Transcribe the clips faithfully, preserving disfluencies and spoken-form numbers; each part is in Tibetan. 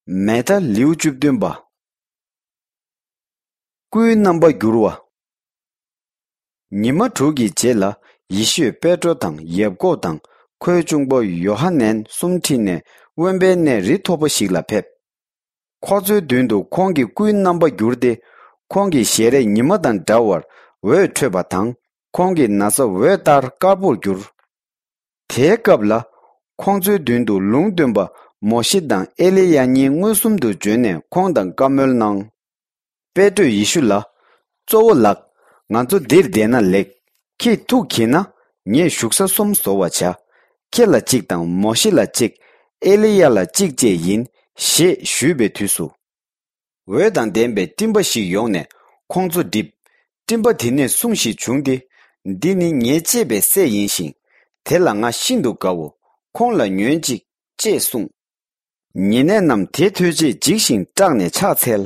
མེ་ཐ་ལེའུ་བཅུ་བདུན་པ། སྐུའི་རྣམ་པ་བསྒྱུར་བ། ཉི་མ་དྲུག་གི་རྗེས་ལ། ཡེ་ཤུས་པེ་ཏྲོ་དང་ཡབ་ཀོབ་དང་ཁོའི་གཅུང་པོ་ཡོ་ཧ་ནན་གསུམ་ཁྲིད་ནས་དབེན་པའི་གནས་རི་མཐོ་པོ་ཞིག་ལ་ཕེབས། ཁོ་ཚོའི་མདུན་དུ་ཁོང་གི་སྐུའི་རྣམ་པ་བསྒྱུར་ཏེ། ཁོང་གི་ཞལ་རས་ཉི་མ་དང་འདྲ་བར་འོད་འཕྲོས་པ་དང་། ཁོང་གི་ན་བཟའ་འོད་ལྟར་དཀར་པོར་གྱུར། དེའི་སྐབས་ལ། ཁོང་ཚོའི་མདུན་དུ་ལུང་སྟོན་པ་མོ་ཤེ་དང་ཨེ་ལི་ཡ་གཉིས་མངོན་སུམ་དུ་བྱོན་ནས་ཁོང་དང་བཀའ་མོལ་གནང་། པེ་ཏྲོས་ཡེ་ཤུ་ལ། གཙོ་བོ་ལགས། ང་ཚོ་འདིར་བསྡད་ན་ལེགས། ཁྱེད་ཐུགས་དགྱེས་ན། ངས་བཞུགས་ས་གསུམ་བཟོ་བར་བྱ། ཁྱེད་ལ་གཅིག་དང་མོ་ཤེ་ལ་གཅིག་ཨེ་ལི་ཡ་ལ་གཅིག་བཅས་ཡིན། ཞེས་ཞུས་པའི་དུས་སུ། འོད་དང་ལྡན་པའི་སྤྲིན་པ་ཞིག་ཡོང་ནས་ཁོང་ཚོ་བསྒྲིབས། སྤྲིན་པ་དེ་ནས་སྲུང་ཞིག་བྱུང་སྟེ། འདི་ནི་ངའི་གཅེས་པའི་སྲས་ཡིན་ཞིང་། དེ་ལ་ང་ཤིན་ཏུ་དགའོ། ཁོང་ལ་ཉོན་ཅིག་ཅེས་གསུངས། ཉེ་གནས་རྣམས་དེ་ཐོས་རྗེས་འཇིགས་ཤིང་སྐྲག་ནས་ཕྱག་འཚལ།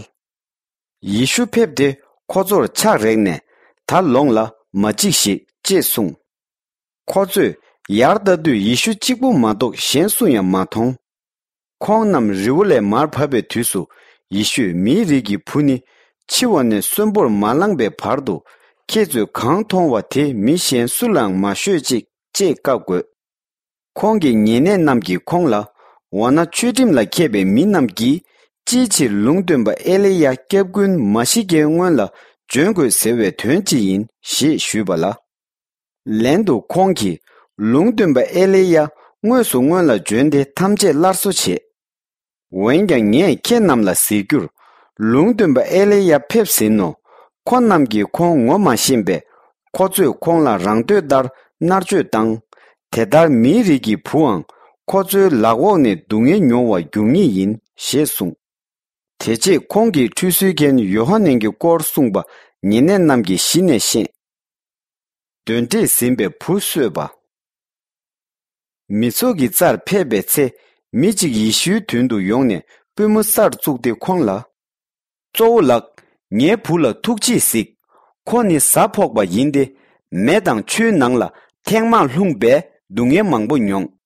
ཡེ་ཤུ་ཕེབས་ཏེ་ཁོ་ཚོར་ཕྱག་རེག་ནས། ད་ལོངས་ལ་མ་འཇིགས་ཤིག་ཅེས་གསུངས། ཁོ་ཚོས་ཡར་ལྟ་དུས་ཡེ་ཤུ་གཅིག་པུ་མ་གཏོགས་གཞན་སུ་ཡང་མ་མཐོང་། ཁོང་རྣམས་རི་བོ་ལས་མར་བབས་པའི་དུས་སུ། ཡེ་ཤུས་མིའི་རིགས་ཀྱི་བུ་ནི། འཆི་བ་ནས་གསོན་པོར་མ་ལངས་པའི་བར་དུ། ཁྱེད་ཚོས་གང་མཐོང་བ་དེ་མི་གཞན་སུ་ལའང་མ་ཤོད་ཅིག་ཅེས་བཀའ་བསྒོས། ཁོང་གི་ཉེ་གནས་རྣམས་ཀྱིས་ཁོང་ལ། འོ་ན་ཆོས་ཁྲིམས་ལ་མཁས་པའི་མི་རྣམས་ཀྱིས། ཅིའི་ཕྱིར་ལུང་སྟོན་པ་ཨེ་ལི་ཡ་སྐྱབས་མགོན་མ་ཤི་ཀའི་སྔོན་ལ་བྱོན་དགོས་ཟེར་བའི་དོན་ཅི་ཡིན། ཞེས་ཞུས་པ་ལ། ལན་དུ་ཁོང་གིས། ལུང་སྟོན་པ་ཨེ་ལི་ཡ་དངོས་སུ་སྔོན་ལ་བྱོན་ཏེ་ཐམས་ཅད་སླར་གསོ་བྱེད། འོན་ཀྱང་ངས་ཁྱེད་རྣམས་ལ་ཟེར་རྒྱུར། ལུང་སྟོན་པ་ཨེ་ལི་ཡ་ཕེབས་ཟིན་ནོ། ཁོ་རྣམས་ཀྱིས་ཁོང་ངོ་མ་ཤེས་པས། ཁོ་ཚོས་ཁོང་ལ་རང་འདོད་ལྟར་མནར་གཅོད་བཏང་། དེ་ལྟར་མིའི་རིགས་ཀྱི་བུའང་ཁོ་ཚོའི་ལག་འོག་ནས་སྡུག་བསྔལ་མྱོང་བར་འགྱུར་ངེས་ཡིན། ཞེས་གསུངས། དེ་རྗེས་ཁོང་གིས་ཁྲུས་གསོལ་མཁན་ཡོ་ཧ་ནན་གྱི་སྐོར་གསུངས་པ་ཉེ་གནས་རྣམས་ཀྱིས་གཞི་ནས་ཤེས། གདོན་འདྲེས་ཟིན་པའི་བུ་གསོས་པ། མི་ཚོགས་ཀྱི་རྩར་ཕེབས་པའི་ཚེ། མི་གཅིག་ཡེ་ཤུའི་མདུན་དུ་ཡོང་ནས་པུས་མོ་སར་བཙུགས་ཏེ་ཁོང་ལ། གཙོ་བོ་ལགས། ངའི་བུ་ལ་ཐུགས་རྗེས་གཟིགས། ཁོ་ནི་གཟའ་ཕོག་པ་ཡིན་ཏེ། མེ་དང་ཆུའི་ནང་ལ་ཐེངས་མང་ལྷུང་བས་སྡུག་བསྔལ་མང་པོ་མྱོང་།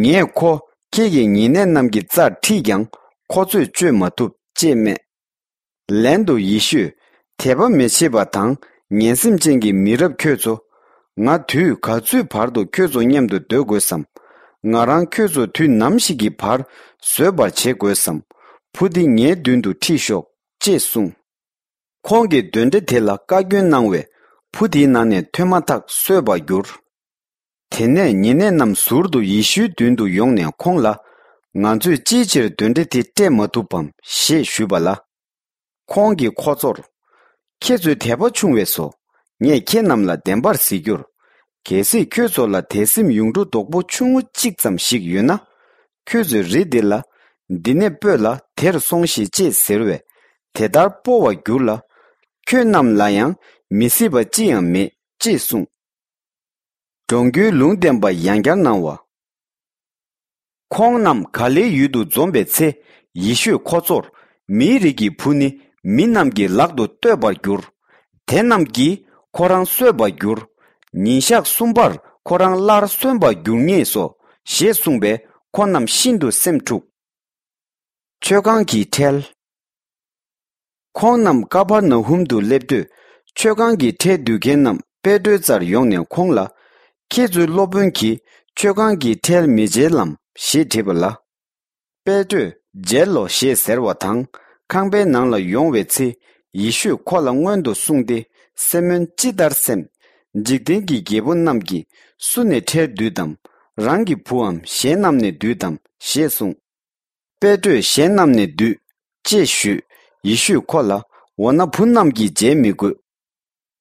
ངས་ཁོ་ཁྱེད་ཀྱི་ཉེ་གནས་རྣམས་ཀྱི་རྩར་ཁྲིད་ཀྱང་ཁོ་ཚོས་བཅོས་མ་ཐུབ་ཅེས་སྨྲས། ལན་དུ་ཡེ་ཤུས། དད་པ་མི་བྱེད་པ་དང་ངན་སེམས་ཅན་གྱི་མི་རབས་ཁྱོད་ཚོ། ང་དུས་ག་ཚོད་བར་དུ་ཁྱོད་ཚོ་མཉམ་དུ་སྡོད་དགོས་སམ། ང་རང་ཁྱོད་ཚོ་དུས་ནམ་ཞིག་གི་བར་བཟོད་པར་བྱེད་དགོས་སམ། བུ་འདི་ངའི་མདུན་དུ་ཁྲིད་ཤོག་ཅེས་གསུངས། ཁོང་གིས་གདོན་འདྲེ་དེ་ལ་བཀའ་བཀྱོན་གནང་བས། བུ་དེའི་ནང་ནས་ཐོན་མ་ཐག་གསོས་པར་གྱུར། དེ་ནས་ཉེ་གནས་རྣམས་ཟུར་དུ་ཡེ་ཤུའི་མདུན་དུ་ཡོང་ནས་ཁོང་ལ། ང་ཚོས་ཅིའི་ཕྱིར་གདོན་འདྲེ་དེ་བསྐྲད་མ་ཐུབ་བམ། ཞེས་ཞུས་པ་ལ། ཁོང་གིས་ཁོ་ཚོར། ཁྱེད་ཚོའི་དད་པ་ཆུང་བས་སོ། ངས་ཁྱེད་རྣམས་ལ་བདེན་པར་ཟེར་རྒྱུར། གལ་སྲིད་ཁྱོད་ཚོ་ལ་དད་སེམས་ཡུངས་འབྲུ་རྡོག་པོ་ཆུང་ངུ་གཅིག་ཙམ་ཞིག་ཡོད་ན། ཁྱོད་ཚོས་རི་འདི་ལ། འདི་ནས་སྤོས་ལ་དེར་སོང་ཞིག་ཅེས་ཟེར་བས། དེ་ལྟར་སྤོ་བར་འགྱུར་ལ། ཁྱོད་རྣམས་ལ་ཡང་མི་སྲིད་པ་ཅི་ཡང་མེད། ཅེས་གསུངས། འགྲོ་མགོན་ལུང་བསྟན་པ་ཡང་བསྐྱར་གནང་བ། ཁོང་རྣམས་ག་ལེའི་ཡུལ་དུ་འཛོམས་པའི་ཚེ། ཡེ་ཤུས་ཁོ་ཚོར། མིའི་རིགས་ཀྱི་བུ་ནི་མི་རྣམས་ཀྱི་ལག་ཏུ་གཏོད་པར་འགྱུར། དེ་རྣམས་ཀྱིས་ཁོ་རང་གསོད་པར་འགྱུར། ཉིན་ཞག་གསུམ་པར་ཁོ་རང་སླར་གསོན་པར་འགྱུར་ངེས་སོ། ཞེས་གསུངས་པས་ཁོ་རྣམས་ཤིན་ཏུ་སེམས་འཁྲུགས། མཆོད་ཁང་གི་ཁྲལ། ཁོང་རྣམས་ཀ་ཕར་ན་ཧུམ་དུ་སླེབས་དུས། མཆོད་ཁང་གི་ཁྲལ་བསྡུ་མཁན་རྣམས་པེ་ཏྲོའི་རྩར་ཡོང་ནས་ཁོང་ལ། ཁྱེད་ཚོའི་སློབ་དཔོན་གྱིས་མཆོད་ཁང་གི་ཁྲལ་མི་འཇལ་ལམ། ཞེས་དྲིས་པ་ལ། པེ་ཏྲོས། འཇལ་ལོ། ཞེས་ཟེར་བ་དང་། ཁང་པའི་ནང་ལ་ཡོང་བའི་ཚེ། ཡེ་ཤུས་ཁོ་ལ་སྔོན་དུ་གསུངས་ཏེ། སེ་མོན་ཅི་ལྟར་སེམས། འཇིག་རྟེན་གྱི་རྒྱལ་པོ་རྣམས་ཀྱིས་སུ་ནས་ཁྲལ་བསྡུས་དམ། རང་གི་བུའམ་གཞན་རྣམས་ནས་བསྡུས་དམ། ཞེས་གསུངས། པེ་ཏྲོས་གཞན་རྣམས་ནས་བསྡུས། ཅེས་ཞུས། ཡེ་ཤུས་ཁོ་ལ། འོ་ན་བུ་རྣམས་ཀྱིས་འཇལ་མི་དགོས།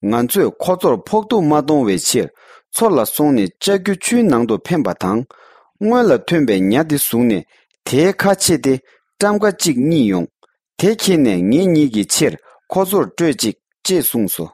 ང་ཚོས་ཁོ་ཚོར་ཕོག་ཐུག་མ་གཏོང་བའི་ཕྱིར། མཚོ་ལ་སོང་ནས་ལྕགས་ཀྱུ་ཆུའི་ནང་དུ་འཕེན་པ་དང་། སྔོན་ལ་ཐོན་པའི་ཉ་དེ་བཟུང་ནས་དེའི་ཁ་ཕྱེ་སྟེ་ཊམ་ཀ་གཅིག་རྙེད་ཡོང་། དེ་ཁྱེར་ནས་ངེད་གཉིས་ཀྱི་ཕྱིར་ཁོ་ཚོར་སྤྲོད་ཅིག་ཅེས་གསུངས་སོ།